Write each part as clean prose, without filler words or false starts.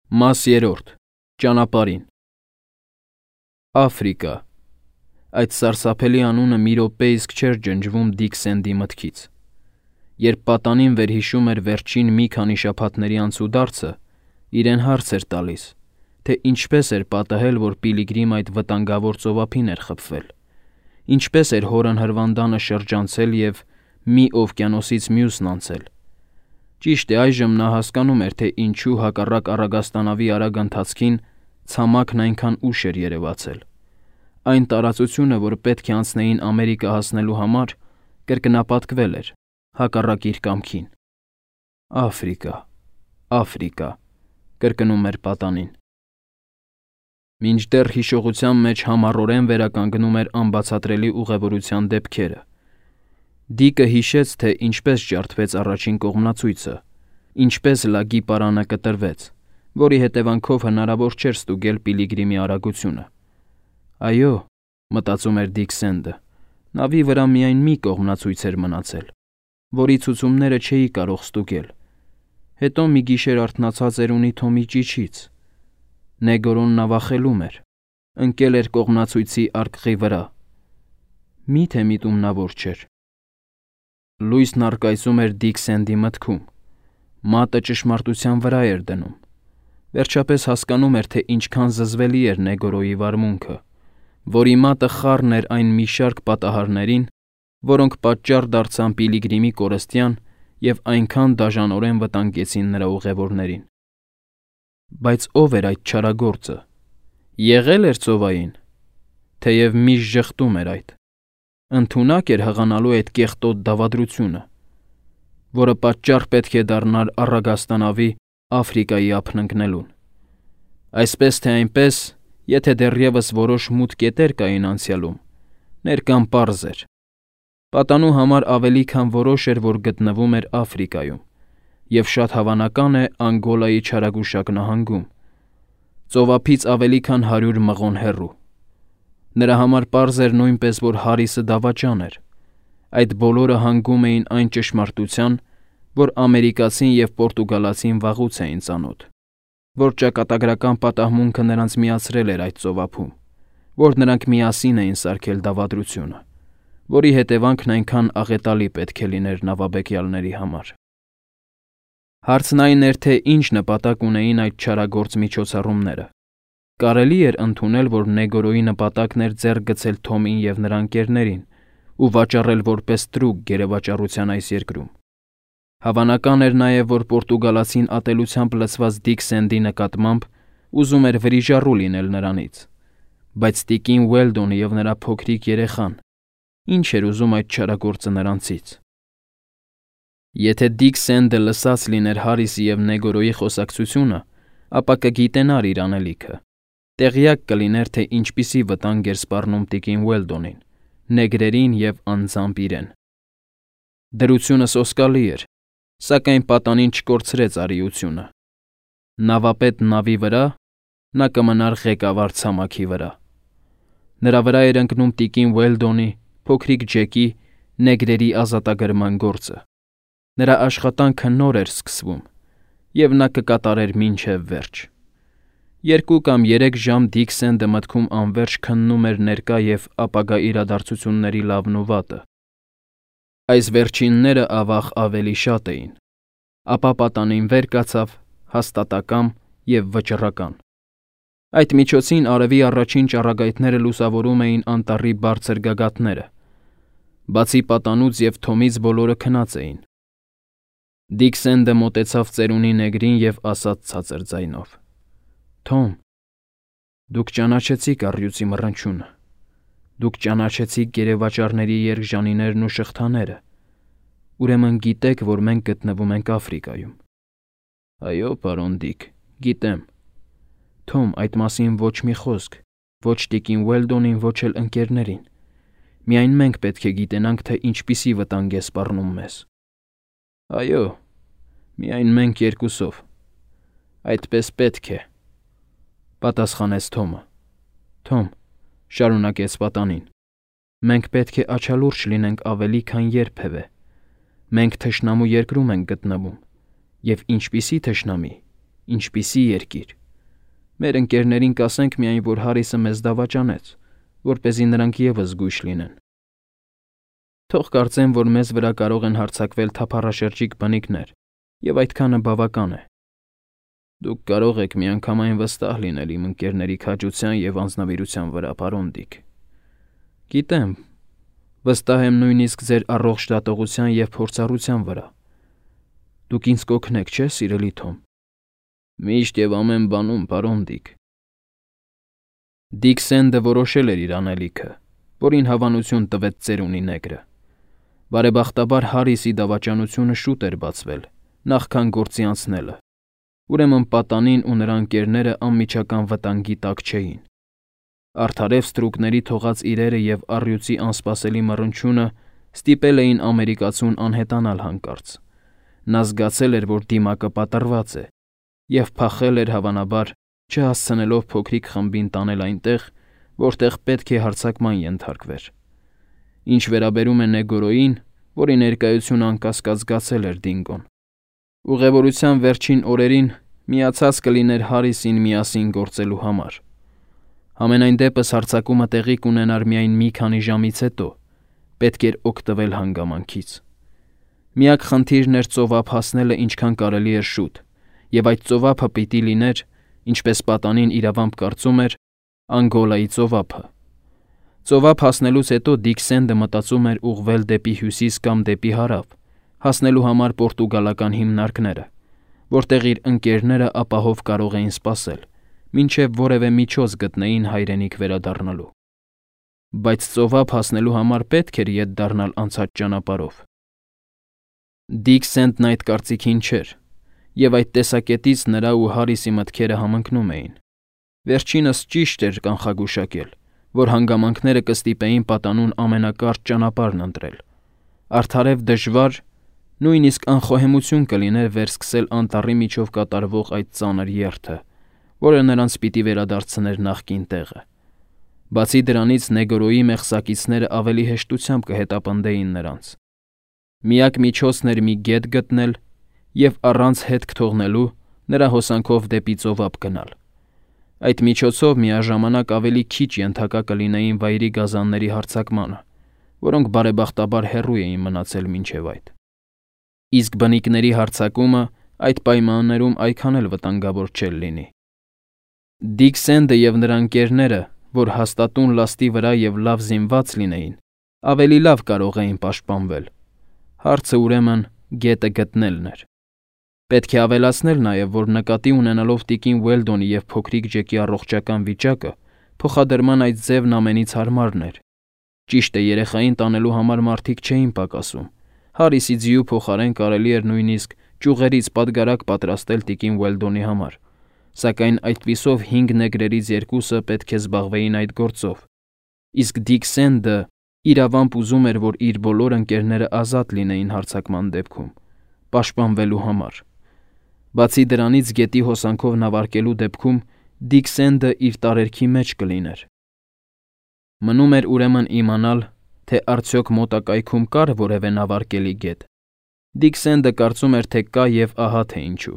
Մաս 3. Ճանապարհին Աֆրիկա։ Այդ սարսափելի անունը մի րոպե իսկ չէր ջնջվում Դիք Սենդի մտքից։ Երբ պատանին վերհիշում էր վերջին մի քանի շաբաթների անցուդարձը, իրեն հարց էր տալիս, թե ինչպես էր պատահել, որ Պիլիգրիմ այդ վտանգավոր ծովափին էր խփվել, ինչպես էր հորն հրվանդանը շրջանցել և մի օվկիանոսից մյուսն անցել։ Ճիշտ է, այժմ նա հասկանում էր, թե ինչու հակառակ առագաստանավի արագ ընթացքին ցամաքն այնքան ուշ էր երևացել։ Այն տարածությունը, որ պետք է անցնեին Ամերիկա հասնելու համար, կրկնապատկվել էր, հակառակ իր կամքին։ Աֆրիկա, Աֆրիկա, կրկնում էր պատանին։ Մինչդեռ հիշողության մեջ համառորեն վերականգնում էր անբացատրելի ուղևորության դեպքերը։ Դիկը հիշեց, թե ինչպես ջարդվեց առաջին կողմնացույցը, ինչպես լագի պարանը կտրվեց, որի հետևանքով հնարավոր չէր ստուգել Պիլիգրիմի արագությունը։ Այո, մտածում էր Դիկ Սենդը, նավի վրա միայն մի կողմնացույց էր մնացել, որի ցուցումները չէի կարող ստուգել։ Հետո մի գիշեր արթնացած էր ունի Թոմի ճիչից։ Նեգորոն նավախելում էր, ընկել էր կողմնացույցի արկղի վրա։ Մի՞թե միտումնավոր չէր։ Լույսն առկայծում էր Դիկ Սենդի մտքում։ Մատը ճշմարտության վրա էր դնում։ Վերջապես հասկանում էր, թե ինչքան զզվելի էր Նեգորոյի վարմունքը, որի մատը խառն էր այն մի շարք պատահարներին, որոնք պատճառ դարձան Պիլիգրիմի կորստյան և այնքան դաժանորեն վտանգեցին նրա ուղևորներին։ Բայց ո՞վ էր այդ չարագործը։ Եղե՞լ էր ծովային, թեև միշտ ժխտում էր այդ։ Ընդունակ էր հղանալու այդ կեղտոտ դավադրությունը, որը պատճառ պետք է դառնար առագաստանավի Աֆրիկայի ափն ընկնելուն։ Այսպես թե այնպես, եթե դեռևս որոշ մութ կետեր կային անցյալում, ներկան պարզ էր։ Պատանու համար ավելի քան որոշ էր, որ գտնվում էր Աֆրիկայում, և շատ հավանական է Անգոլայի չարագուշակ նահանգում, ծովափից ավելի քան 100 մղոն հեռու։ Նրա համար պարզ էր նույնպես, որ Հարիսը դավաճան էր։ Այդ բոլորը հանգում էին այն ճշմարտության, որ ամերիկացին և պորտուգալացին վաղուց էին ծանոթ, որ ճակատագրական պատահմունքը նրանց միացրել էր այդ ծովափում, որ նրանք միասին էին սարքել դավադրությունը, որի հետևանքն այնքան աղետալի պետք է լիներ նավաբեկյալների համար։ Հարցն այն էր, թե ինչ նպատակ ունեին այդ չարագործ միջոցառումները։ Կարելի էր ընդունել, որ Նեգորոյի նպատակն էր ձեռք գցել Թոմին և նրա ընկերներին ու վաճառել որպես տրուկ գերեվաճառության այս երկրում։ Հավանական էր նաև, որ պորտուգալացին ատելությամբ լցված Դիկ Սենդի նկատմամբ ուզում էր վրիժառու լինել նրանից։ Բայց տիկին Ուելդոնը և նրա փոքրիկ երեխան, ինչ էր ուզում այդ չարագործը նրանցից։ Եթե Դիկ Սենդը լսած լիներ Հարիսի և Նեգորոյի խոսակցությունը, ապա կգիտենար իր անելիքը։ Տեղյակ կլիներ, թե ինչպիսի վտանգ էր սպառնում տիկին Ուելդոնին, նեգրերին և անձամբ իրեն։ Դրությունը սոսկալի էր, սակայն պատանին չկորցրեց արիությունը։ Նավապետ նավի վրա, նա կմնար ղեկավար ցամաքի վրա։ Նրա վրա էր ընկնում տիկին Ուելդոնի, փոքրիկ Ջեկի, նեգրերի ազատագրման գործը։ Նրա աշխատանքը նոր էր սկսվում, և նա կկատարեր մինչև վերջ։ 2 կամ 3 ժամ Դիկ Սենդը մտքում անվերջ քննում էր ներկա և ապագա իրադարձությունների լավն ու վատը։ Այս վերջինները, ավաղ, ավելի շատ էին։ Ապա պատանին վեր կացավ, հաստատակամ և վճռական։ Այդ միջոցին արևի առաջին ճառագայթները լուսավորում էին անտառի բարձր գագաթները։ Բացի պատանուց և Թոմից բոլորը քնած էին։ Դիկ Սենդը մոտեցավ ծերունի նեգրին և ասաց ցածր ձայնով. «Թոմ, դուք ճանաչեցիք առյուծի մռնչյունը, դուք ճանաչեցիք գերեվաճառների երկժանիներն ու շղթաները, ուրեմն գիտեք, որ մենք գտնվում ենք Աֆրիկայում»։ «Այո, պարոն Դիկ, գիտեմ»։ «Թոմ, այդ մասին ոչ մի խոսք, ոչ տիկին Ուելդոնին, ոչ էլ ընկերներին։ Միայն մենք պետք է գիտենանք, թե ինչպիսի վտանգ է սպառնում մեզ»։ «Այո, միայն մենք երկուսով։ Այդպես պետք է», պատասխանեց Թոմը։ «Թոմ», շարունակեց պատանին, «մենք պետք է աչալուրջ լինենք ավելի, քան երբևէ։ Մենք թշնամու երկրում ենք գտնվում, և ինչպիսի թշնամի, ինչպիսի երկիր։ Մեր ընկերներին կասենք միայն, որ Հարիսը մեզ դավաճանեց, որպեսզի նրանք ևս զգույշ լինեն։ Թող կարծեն, որ մեզ վրա կարող են հարձակվել թափառաշրջիկ բնիկներ, եւ այդքանը բավական է։ Դուք կարող եք միանգամայն վստահ լինել իմ ընկերների քաջության եւ անձնավիրության վրա, պարոն Դիկ։ Գիտեմ, վստահ եմ նույնիսկ ձեր առողջ դատողության եւ փորձառության վրա։ Դուք ինձ կօգնեք, չէ՞, սիրելի Թոմ։ Միշտ եւ ամեն բանում, պարոն Դիկ։ Դիկ Սենդը որոշել էր իր անելիքը, որին հավանություն տվեց ծերունի նեգրը։ Բարեբախտաբար Հարիսի դավաճանությունը շուտ էր բացվել, նախքան գործի անցնելը։ Ուրեմն պատանին ու նրա ընկերները անմիջական վտանգի տակ չէին։ Արդարև ստրուկների թողած իրերը եւ առյուծի անսպասելի մռնչյունը ստիպել էին ամերիկացուն անհետանալ հանկարծ։ Նա զգացել էր, որ դիմակը պատռված է, եւ փախել էր հավանաբար, չհասցնելով փոքրիկ խմբին տանել այնտեղ, որտեղ պետք է հարձակման ենթարկվեր։ Ինչ վերաբերում է Նեգորոյին, որի ներկայությունը անկասկած զգացել էր Դինգոն, ուղևորության վերջին օրերին միացած կլիներ Հարիսին միասին գործելու համար։ Համենայն դեպս հարձակումը տեղի կունենար միայն մի քանի ժամից հետո, պետք էր օգտվել հանգամանքից։ Միակ խնդիրն էր ծովափ հասնելը ինչքան կարելի էր շուտ, եւ այդ ծովափը պիտի լիներ, ինչպես պատանին իրավամբ կարծում էր, Անգոլայի ծովափը։ Ծովափ հասնելուց հետո Դիկ Սենդը մտածում էր ուղղվել դեպի հյուսիս կամ դեպի հարավ, հասնելու համար պորտուգալական հիմնարկները, որտեղ իր ընկերները ապահով կարող էին սպասել, մինչև որևէ միջոց գտնեին հայրենիք վերադառնալու։ Բայց ծովափ հասնելու համար պետք էր ետ դառնալ անցած ճանապարհով։ Դիկ Սենդն այդ կարծիքին չէր, եւ այդ տեսակետից նրա ու Հարիսի մտքերը համընկնում էին։ Վերջինս ճիշտ էր կանխագուշակել, որ հանգամանքները կստիպեին պատանուն ամենակարճ ճանապարհն ընտրել։ Արդարև դժվար, նույնիսկ անխոհեմություն կլիներ վերսկսել անտառի միջով կատարվող այդ ծանր երթը, որը նրանց պիտի վերադարձներ նախկին տեղը։ Բացի դրանից Նեգորոյի մեղսակիցները ավելի հեշտությամբ կհետապնդեին նրանց։ Միակ միջոցն էր մի գետ գտնել եւ առանց հետք թողնելու նրա հոսանքով դեպի ծովափ գնալ։ Այդ միջոցով միաժամանակ ավելի քիչ ենթակա կլինեին վայրի գազանների հարձակմանը, որոնք բարեբախտաբար հեռու էին մնացել մինչև այդ։ Իսկ բնիկների հարձակումը այդ պայմաններում այդքան էլ վտանգավոր չէր լինի։ Դիկ Սենդը եւ նրա ընկերները, որ հաստատուն լաստի վրա եւ լավ զինված լինեին, ավելի լավ կարող էին պաշտպանվել։ Հարցը ուրեմն գետը գտնելն էր։ Պետք է ավելացնել նաև, որ նկատի ունենալով տիկին Ուելդոնի եւ փոքրիկ Ջեկի առողջական վիճակը, փոխադրման այդ ձևն ամենից հարմարն էր։ Ճիշտ է, երեխային տանելու համար մարդիկ չէին պակասում։ Հարիսի ձիու փոխարեն կարելի էր նույնիսկ ճյուղերից պատգարակ պատրաստել տիկին Ուելդոնի համար, սակայն այդպիսով 5 նեգրերից 2-ը պետք է զբաղվեին այդ գործով։ Իսկ Դիկ Սենդը իրավամբ ուզում էր, որ իր բոլոր ընկերները ազատ լինեին հարձակման դեպքում, պաշտպանվելու համար։ Բացի դրանից գետի հոսանքով նավարկելու դեպքում Դիկ Սենդը իր տարերքի մեջ կլիներ։ Մնում էր ուրեմն իմանալ, թե արդյոք մոտակայքում կար որևէ նավարկելի գետ։ Դիկ Սենդը կարծում էր, թե կա եւ ահա թե ինչու։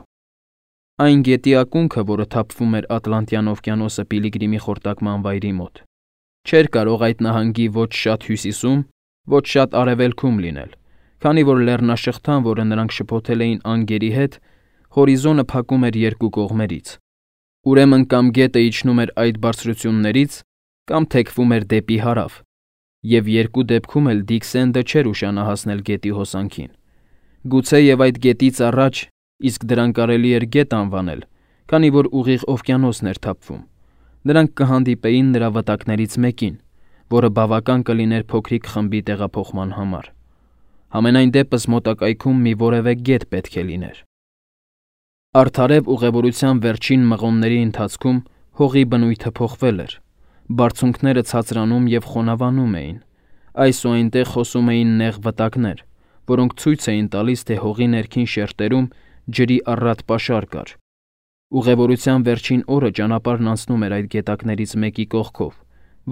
Այն գետի ակունքը, որը թափվում էր Ատլանտյան օվկիանոսը Պիլիգրիմի խորտակման վայրի մոտ, չէր կարող այդ նահանգի ոչ շատ հյուսիսում, ոչ շատ արևելքում լինել, քանի որ լեռնաշղթան, որը նրանք շփոթել էին անգերի հետ, հորիզոնը փակում էր երկու կողմերից։ Ուրեմն կամ գետը իջնում էր այդ բարձրություններից, կամ թեքվում էր դեպի հարավ, եւ երկու դեպքում էլ Դիկ Սենդը չէր ուշանա հասնել գետի հոսանքին։ Գուցե եւ այդ գետից առաջ, իսկ դրան կարելի էր գետ անվանել, քանի որ ուղիղ օվկիանոսն էր թափվում։ Նրանք կհանդիպեին նրա վտակներից մեկին, որը բավական կլիներ փոքրիկ խմբի տեղափոխման համար։ Համենայն դեպս մոտակայքում մի որևէ գետ պետք է լիներ։ Արդարև ուղևորության վերջին մղոնների ընթացքում հողի բնույթը փոխվել էր։ Բարձունքները ցածրանում եւ խոնավանում էին։ Այս ու այնտեղ խոսում էին նեղ վտակներ, որոնք ցույց էին տալիս, թե հողի ներքին շերտերում ջրի առատ պաշար կար։ Ուղևորության վերջին օրը ճանապարհն անցնում էր այդ գետակներից մեկի կողքով,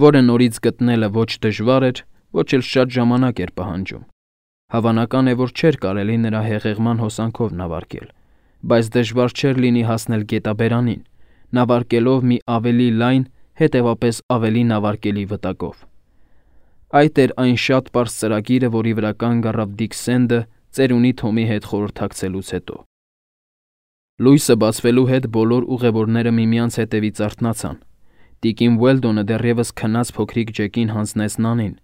որը նորից գտնելը ոչ դժվար էր, ոչ էլ շատ ժամանակ էր պահանջում։ Հավանական է, որ չէր կարելի նրա հեղեղման հոսանքով նավարկել, բայց դժվար չէր լինի հասնել գետաբերանին, նավարկելով մի ավելի լայն, հետևապես ավելի նավարկելի վտակով։ Այդ էր այն շատ պարզ ծրագիրը, որի վրա կանգ առավ Դիկ Սենդը ծերունի Թոմի հետ խորհրդակցելուց հետո։ Լույսը բացվելու հետ բոլոր ուղևորները միմյանց հետևից արթնացան։ Տիկին Ուելդոնը դեռևս քնած փոքրիկ Ջեկին հանձնեց Նանին։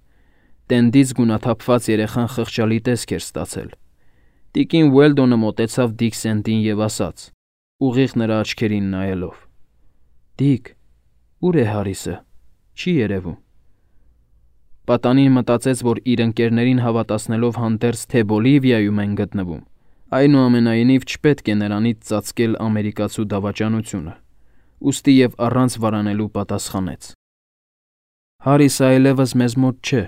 Տենդից գունաթափված երեխան խղճալի տեսք էր ստացել։ Տիկին Ուելդոնը մոտեցավ Դիկ Սենդին և ասաց, ուղիղ նրա աչքերին նայելով. «Դիկ, ուր է Հարիսը, չի երևում»։ Պատանին մտածեց, որ իր ընկերներին հավատացնելով հանդերձ, թե Բոլիվիայում են գտնվում, այնուամենայնիվ չպետք է նրանից ծածկել ամերիկացու դավաճանությունը, ուստի և առանց վարանելու պատասխանեց. «Հարիսը այլևս մեզ մոտ չէ»։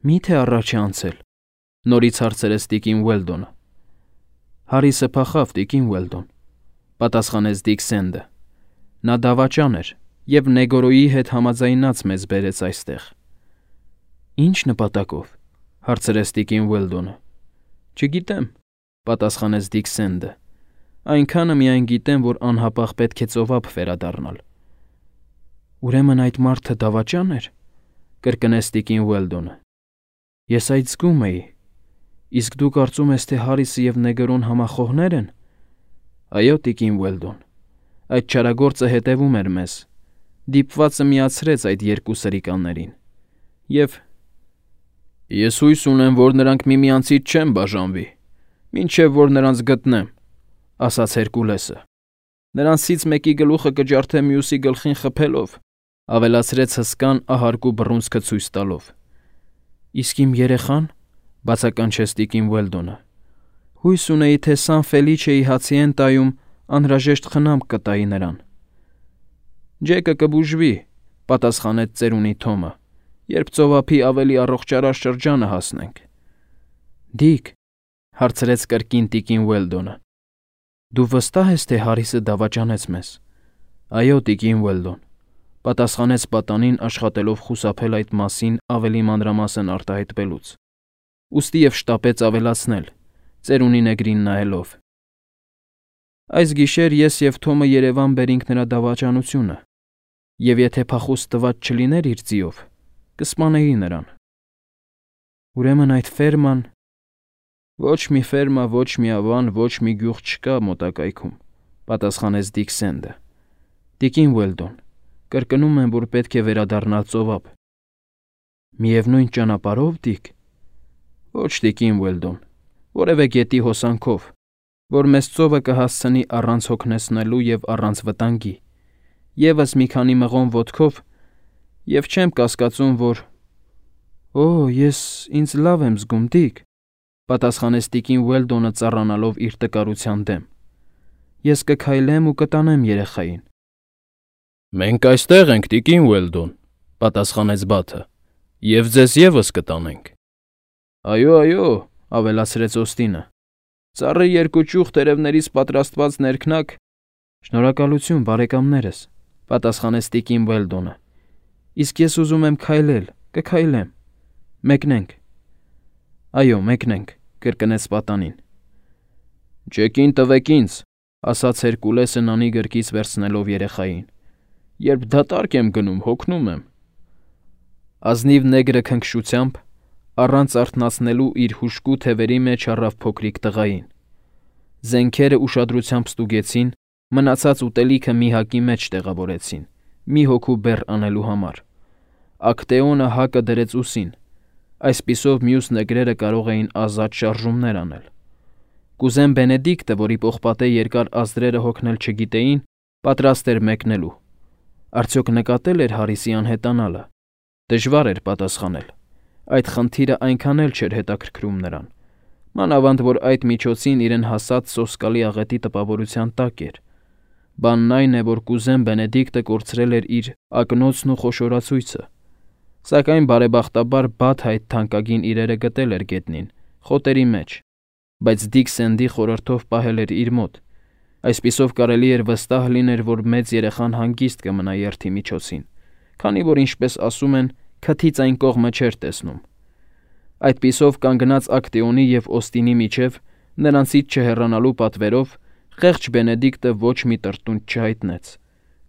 «Մի՞թե առաջ է անցել», նորից հարցրեց տիկին Ուելդոնը։ «Հարիսը փախավ, տիկին Ուելդոն», պատասխանեց Դիկ Սենդը։ «Նա դավաճան էր և Նեգորոյի հետ համաձայնած մեզ բերեց այստեղ»։ «Ինչ նպատակով», հարցրեց տիկին Ուելդոնը։ «Չգիտեմ», պատասխանեց Դիկ Սենդը։ «Այնքանը միայն գիտեմ, որ անհապաղ պետք է ծովափ վերադառնալ»։ «Ուրեմն այդ մարդը դավաճան էր», կրկնեց տիկին Ուելդոնը։ «Ես այդ զգում էի։ Իսկ դու կարծում ես, թե Հարիսը և Նեգորոն համախոհներ են»։ «Այո, տիկին Ուելդոն, այդ չարագործը հետևում էր մեզ, դիպվածը միացրեց այդ երկու սրիկաներին, և ես հույս ունեմ, որ նրանք միմյանցից չեն բաժանվի, մինչև որ նրանց գտնեմ», ասաց Հերկուլեսը։ «Նրանցից մեկի գլուխը կջարդեմ մյուսի գլխին խփելով», ավելացրեց հսկան ահարկու բռունցքը ցույց տալով։ «Իսկ իմ երեխան», բացականչեց տիկին Ուելդոնը։ «Հույս ունեի, թե Սան Ֆելիչեի հացիենտայում անհրաժեշտ խնամք կտայի նրան»։ «Ջեկը կբուժվի», պատասխանեց ծերունի Թոմը, «երբ ծովափի ավելի առողջարար շրջանը հասնենք»։ «Դիկ», հարցրեց կրկին տիկին Ուելդոնը, «դու վստահ ես, թե Հարիսը դավաճանեց մեզ»։ «Այո, տիկին Ուելդոն», պատասխանեց պատանին աշխատելով խուսափել այդ մասին ավելի մանրամասն արտահայտվելուց, ուստի և շտապեց ավելացնել, ծերունի նեգրին նայելով. «Այս գիշեր ես և Թոմը Երևան բերինք նրա դավաճանությունը, և եթե փախուստ տված չլիներ իր ձիով, կսպանեի նրան»։ «Ուրեմն այդ ֆերման»։ «Ոչ մի ֆերմա, ոչ մի ավան, ոչ մի գյուղ չկա մոտակայքում», պատասխանեց Դիկ Սենդը։ «Տիկին Ուելդոն, կրկնում եմ, որ պետք է վերադառնալ ծովափ»։ «Միևնույն ճանապարհո՞վ, Դիկ»։ «Ոչ, տիկին Ուելդոն, որևէ գետի հոսանքով, որ մեզ ծովը կհասցնի առանց հոգնեցնելու և առանց վտանգի, ևս մի քանի մղոն ոտքով, և չեմ կասկածում, որ»։ «Օ, ես ինձ լավ եմ զգում, Դիկ», պատասխանեց տիկին Ուելդոնը ծառանալով իր տկարության դեմ։ «Ես կքայլեմ ու կտանեմ երեխային»։ «Մենք այստեղ ենք, տիկին Ուելդոն», պատասխանեց Բաթը, «և ձեզ ևս կտանենք»։ «Այո, այո», ավելացրեց Օստինը, «ծառի երկու ճյուղ տերևներից պատրաստված ներքնակ»։ «Շնորհակալություն, բարեկամներս», պատասխանեց տիկին Ուելդոնը։ «Իսկ ես ուզում եմ քայլել, կքայլեմ։ Մեկնենք»։ «Այո, մեկնենք», կրկնեց պատանին։ «Ջեկին տվեք ինձ», ասաց Հերկուլեսը Նանի գրկից վերցնելով երեխային։ «Երբ դատարկ եմ գնում, հոգնում եմ»։ Ազնիվ նեգրը քնքշությամբ, առանց արթնացնելու իր հուժկու թևերի մեջ առավ փոքրիկ տղային։ Զենքերը ուշադրությամբ ստուգեցին, մնացած ուտելիքը մի հակի մեջ տեղավորեցին, մի հոգու բեռ անելու համար։ Ակտեոնը հակը դրեց ուսին, այսպիսով մյուս նեգրերը կարող էին ազատ շարժումներ անել։ Կուզեն Բենեդիկտը, որի պողպատե երկար ազդրերը հոգնել չգիտեին, պատրաստ էր մեկնելու։ Արդյոք նկատել էր Հարիսի անհետանալը։ Դժվար էր պատասխանել։ Այդ խնդիրը այնքան էլ չէր հետաքրքրում նրան, մանավանդ որ այդ միջոցին իրեն հասած սոսկալի աղետի տպավորության տակ էր։ Բանն այն է, որ կուզեն Բենեդիկտը կորցրել էր իր ակնոցն ու խոշորացույցը, սակայն բարեբախտաբար Բաթը այդ թանկագին իրերը գտել էր գետնին, խոտերի մեջ, բայց Դիկ Սենդի խորհրդով պահել էր իր մոտ, այսպիսով կարելի էր վստահ լինել, որ մեծ երեխան հանգիստ կմնա երթի միջոցին, քանի որ, ինչպես ասում են, քթից այն կողմը չէր տեսնում։ Այդպիսով կանգնած Ակտեոնի և Օստինի միջև Նրանցից չհեռանալու պատվերով խեղճ Բենեդիկտը ոչ մի տրտունջ չհայտնեց։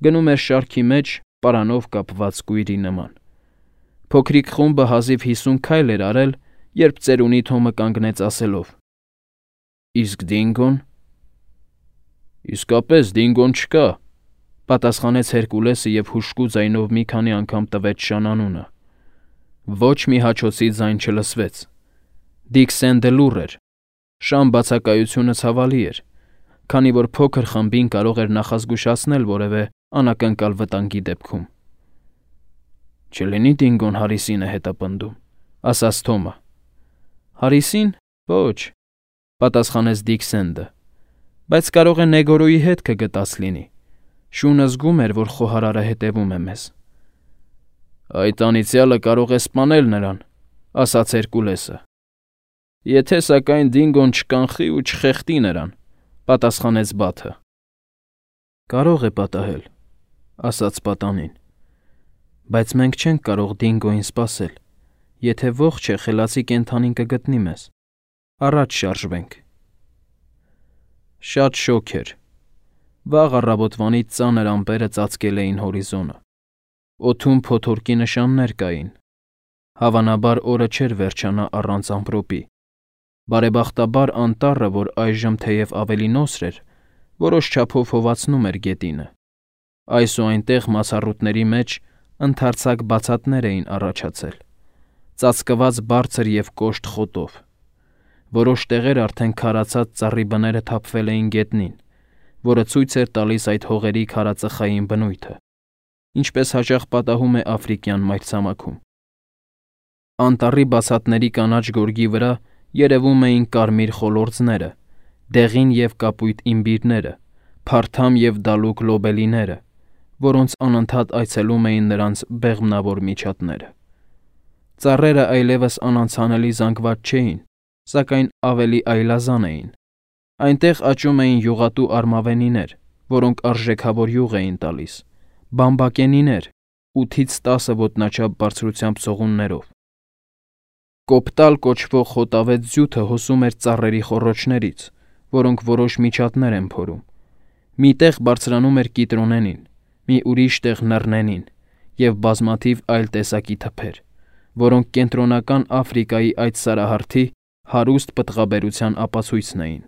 Գնում էր շարքի մեջ պարանով կապված կույրի նման։ Փոքրիկ խումբը հազիվ 50 քայլ էր արել, երբ ծերունի Թոմը կանգնեց ասելով. «Իսկ Դինգոն»։ «Իսկապես Դինգոն չկա», պատասխանեց Հերկուլեսը և հուժկու ձայնով մի քանի անգամ տվեց շանանունը։ Ոչ մի հաչոցի ձայն չլսվեց։ Դիկ Սենդը լուռ էր։ Շան բացակայությունը ցավալի էր, քանի որ փոքր խմբին կարող էր նախազգուշացնել որևէ անակնկալ վտանգի դեպքում։ «Չլինի Դինգոն Հարիսին է հետապնդում», ասաց Թոմը։ «Հարիսին։ Ոչ», պատասխանեց Դիկ Սենդը, բայց կարող է Նեգորոյի հետ կգտած լինի։ Շունը զգում էր, որ խոհարարը հետևում է մեզ։ «Այդ անիծյալը կարող է սպանել նրան», ասաց Հերկուլեսը։ «Եթե սակայն Դինգոն չկանխի ու չխեղդի նրան», պատասխանեց Բաթը։ «Կարող է պատահել», ասաց պատանին, բայց մենք չենք կարող Դինգոյին սպասել։ Եթե ողջ է, խելացի կենդանին կգտնի մեզ։ Առաջ շարժվենք։ Շատ շոգ էր։ Վաղ առավոտվանից ծանր ամպերը ծածկել էին հորիզոնը։ Օդում փոթորկի նշաններ կային։ Հավանաբար օրը չէր վերջանա առանց ամպրոպի։ Բարեբախտաբար անտառը, որ այժմ թեև ավելի նոսր էր, որոշ չափով հովացնում էր գետինը։ Այս ու այնտեղ մացառուտների մեջ ընդարձակ բացատներ էին առաջացել, ծածկված բարձր և կոշտ խոտով։ Որոշ տեղեր արդեն քարացած ծառի բները թափվել էին գետնին, որը ցույց էր տալիս այդ հողերի քարածխային բնույթը, ինչպես հաճախ պատահում է աֆրիկյան մայրցամաքում։ Անտառի բացատների կանաչ գորգի վրա երևում էին կարմիր խոլորձները, դեղին և կապույտ իմբիրները, փարթամ և դալուկ լոբելիները, որոնց անընդհատ այցելում էին նրանց բեղմնավոր միջատները։ Ծառերը այլևս անանցանելի զանգված չէին, սակայն ավելի այլազան էին։ Այնտեղ աճում էին յուղատու արմավենիներ, որոնք արժեքավոր յուղ էին տալիս, բամբակենիներ, 8-ից 10 ոտնաչափ բարձրությամբ ցողուններով։ Կոպտալ կոչվող խոտավետ ձյութը հոսում էր ծառերի խոռոչներից, որոնք որոշ միջատներ են փորում։ Մի տեղ բարձրանում էր կիտրոնենին, մի ուրիշ տեղ նռնենին և բազմաթիվ այլ տեսակի թփեր, որոնք կենտրոնական Աֆրիկայի այդ սարահարթի հարուստ պտղաբերության ապացույցն էին։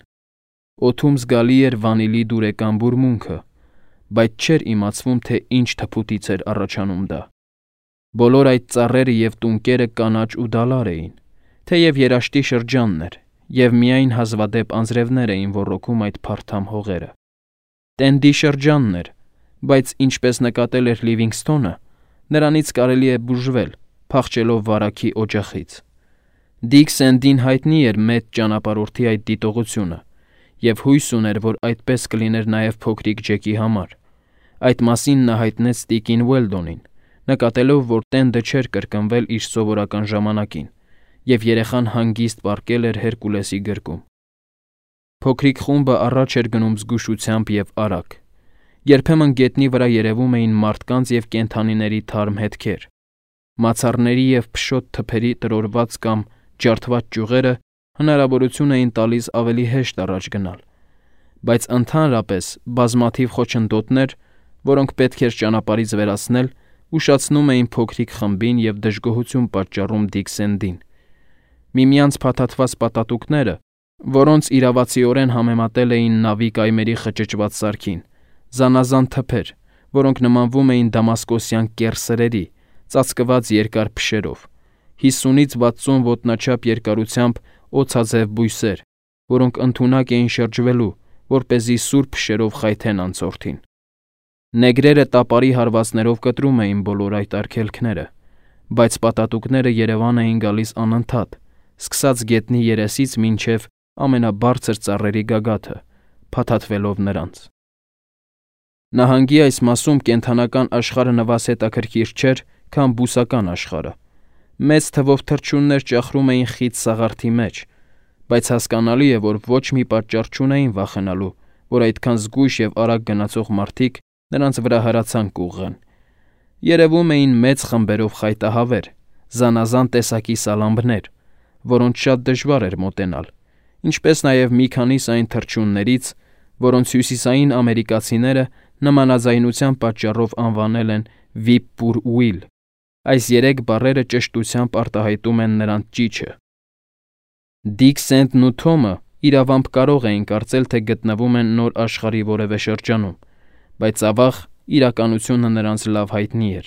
Օդում զգալի էր վանիլի դուրեկան բուրմունքը, բայց չէր իմացվում, թե ինչ թփուտից էր առաջանում դա։ Բոլոր այդ ծառերը և տունկերը կանաչ ու դալար էին, թեև երաշտի շրջանն էր, և միայն հազվադեպ անձրևներ էին ոռոգում այդ փարթամ հողերը։ Տենդի շրջանն էր, բայց ինչպես նկատել էր Լիվինգսթոնը, նրանից կարելի է բուժվել, փախչելով վարակի օջախից։ Դիկ Սենդին հայտնի էր մեծ ճանապարհորդի այդ դիտողությունը, և հույս ուներ, որ այդպես կլիներ նաև փոքրիկ Ջեկի համար։ Այդ մասին նա հայտնեց տիկին Ուելդոնին, նկատելով, որ տենդը չէր կրկնվել իր սովորական ժամանակին, և երեխան հանգիստ պառկել էր Հերկուլեսի գրկում։ Փոքրիկ խումբը առաջ էր գնում զգուշությամբ և արագ։ Երբեմն գետնի վրա երևում էին մարդկանց և կենդանիների թարմ հետքեր։ Մացառների և փշոտ թփերի տրորված կամ ջարդված ճյուղերը հնարավորություն էին տալիս ավելի հեշտ առաջ գնալ, բայց ընդհանրապես բազմաթիվ խոչընդոտներ, որոնք պետք էր ճանապարհից վերացնել, ուշացնում էին փոքրիկ խմբին և դժգոհություն պատճառում Դիկ Սենդին։ Միմյանց փաթաթված պատատուկները, որոնց իրավացիորեն համեմատել էին նավի կայմերի խճճված սարքին, զանազան թփեր, որոնք նմանվում էին դամասկոսյան կեռ սրերի, ծածկված երկար փշերով, 50-ից 60 ոտնաչափ երկարությամբ օձաձև բույսեր, որոնք ընդունակ էին շրջվելու, որպեսզի սուր փշերով խայթեն անցորդին։ Նեգրերը տապարի հարվածներով կտրում էին բոլոր այդ արգելքները, բայց պատատուկները Երևան էին գալիս անընդհատ, սկսած գետնի երեսից մինչև ամենաբարձր ծառերի գագաթը, փաթաթվելով նրանց։ Նահանգի այս մասում կենդանական աշխարհը նվազ հետաքրքիր չէր, քան բուսական աշխարհը։ Մեծ թվով թռչուններ ճախրում էին խիտ սաղարթի մեջ, բայց հասկանալի է, որ ոչ մի պատճառ չունեին վախենալու, որ այդքան զգույշ և արագ գնացող մարդիկ նրանց վրա հրացան կուղղեն։ Երևում էին մեծ խմբերով խայտահավեր, զանազան տեսակի սալամբներ, որոնց շատ դժվար էր մոտենալ, ինչպես նաև մի քանիս այն թռչուններից, որոնց հյուսիսային ամերիկացիները նմանաձայնության պատճառով անվանել են Whip-poor-will։ Այս 3 բառերը ճշտությամբ արտահայտում են նրանց ճիչը։ Դիկ Սենտն ու Թոմը իրավամբ կարող էին կարծել, թե գտնվում են նոր աշխարհի որևէ շրջանում, բայց ավաղ իրականությունը նրանց լավ հայտնի էր։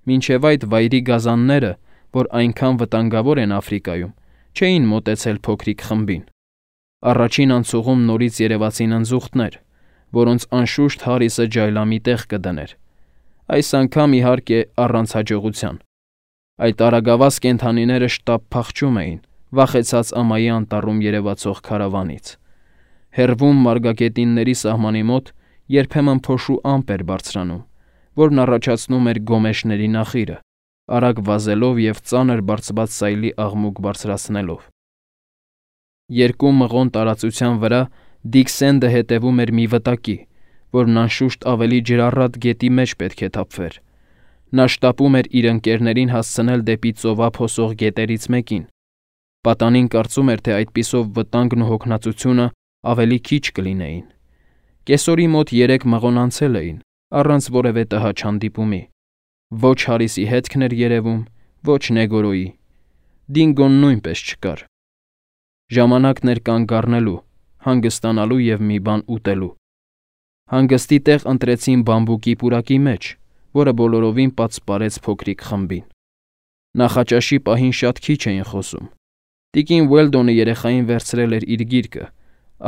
Մինչև այդ վայրի գազանները, որ այնքան վտանգավոր են Աֆրիկայում, չէին մոտեցել փոքրիկ խմբին։ Առաջին անցուղում նորից երևացին ընձուղտներ, որոնց անշուշտ Հարիսը ջայլամի տեղ կդներ։ Այս անգամ, իհարկե, առանց հաջողության։ Այդ արագավազ կենդանիները շտապ փախչում էին, վախեցած ամայի անտառում երևացող քարավանից։ Հեռվում մարգագետինների սահմանի մոտ երբեմն փոշու ամպ էր բարձրանում, որն առաջացնում էր գոմեշների նախիրը, արագ վազելով և ծանր բարձված սայլի աղմուկ բարձրացնելով։ Երկու մղոն տարածության վրա Դիկ Սենդը հետևում էր մի վտակի, որն անշուշտ ավելի ջրառատ գետի մեջ պետք է թափվեր։ Նա շտապում էր իր ընկերներին հասցնել դեպի ծովափ հոսող գետերից մեկին։ Պատանին կարծում էր, թե այդպիսով վտանգն ու հոգնածությունը ավելի քիչ կլինեին։ Կեսօրի մոտ 3 մղոն անցել էին, առանց որևէ տհաճ հանդիպումի։ Ոչ Հարիսի հետքն էր երևում, ոչ Նեգորոյի։ Դինգոն նույնպես չկար։ Ժամանակն էր կանգ առնելու, հանգստանալու և մի բան ուտելու։ Հանգստի տեղ ընտրեցին բամբուկի պուրակի մեջ, որը բոլորովին պատսպարեց փոքրիկ խմբին։ Նախաճաշի պահին շատ քիչ էին խոսում։ Տիկին Ուելդոնը երեխային վերցրել էր իր գիրկը,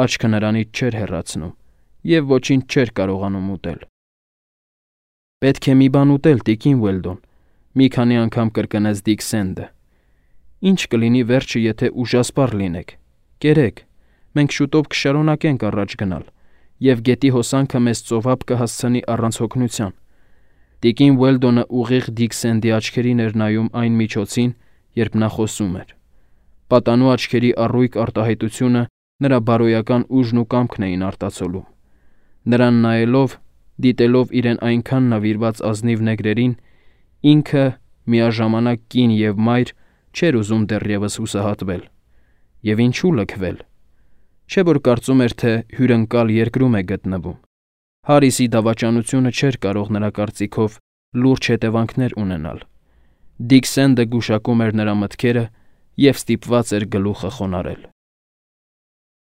աչքը նրանից չէր հեռացնում և ոչինչ չէր կարողանում ուտել։ Պետք է մի բան ուտել, տիկին Ուելդոն, մի քանի անգամ կրկնեց Դիկ Սենդը։ Ինչ կլինի վերջը, եթե ուժասպառ լինեք։ Կերեք, մենք շուտով կշարունակենք առաջ գնալ, և գետի հոսանքը մեզ ծովափ կհասցնի առանց հոգնության։ Տիկին Ուելդոնը ուղիղ Դիկ Սենդի աչքերին էր նայում այն միջոցին, երբ նա խոսում էր։ Պատանու աչքերի առույգ արտահայտությունը նրա բարոյական ուժն ու կամքն էին արտացոլում։ Նրան նայելով, դիտելով իրեն այնքան նվիրված ազնիվ նեգրերին, ինքը միաժամանակ կին և մայր չէր ուզում դեռևս հուսահատվել։ Եվ ինչու լքվել։ Չէ՞ որ կարծում էր, թե հյուրընկալ երկրում է գտնվում։ Հարիսի դավաճանությունը չէր կարող նրա կարծիքով լուրջ հետևանքներ ունենալ։ Դիկ Սենդը գուշակում էր նրա մտքերը և ստիպված էր գլուխը խոնարհել։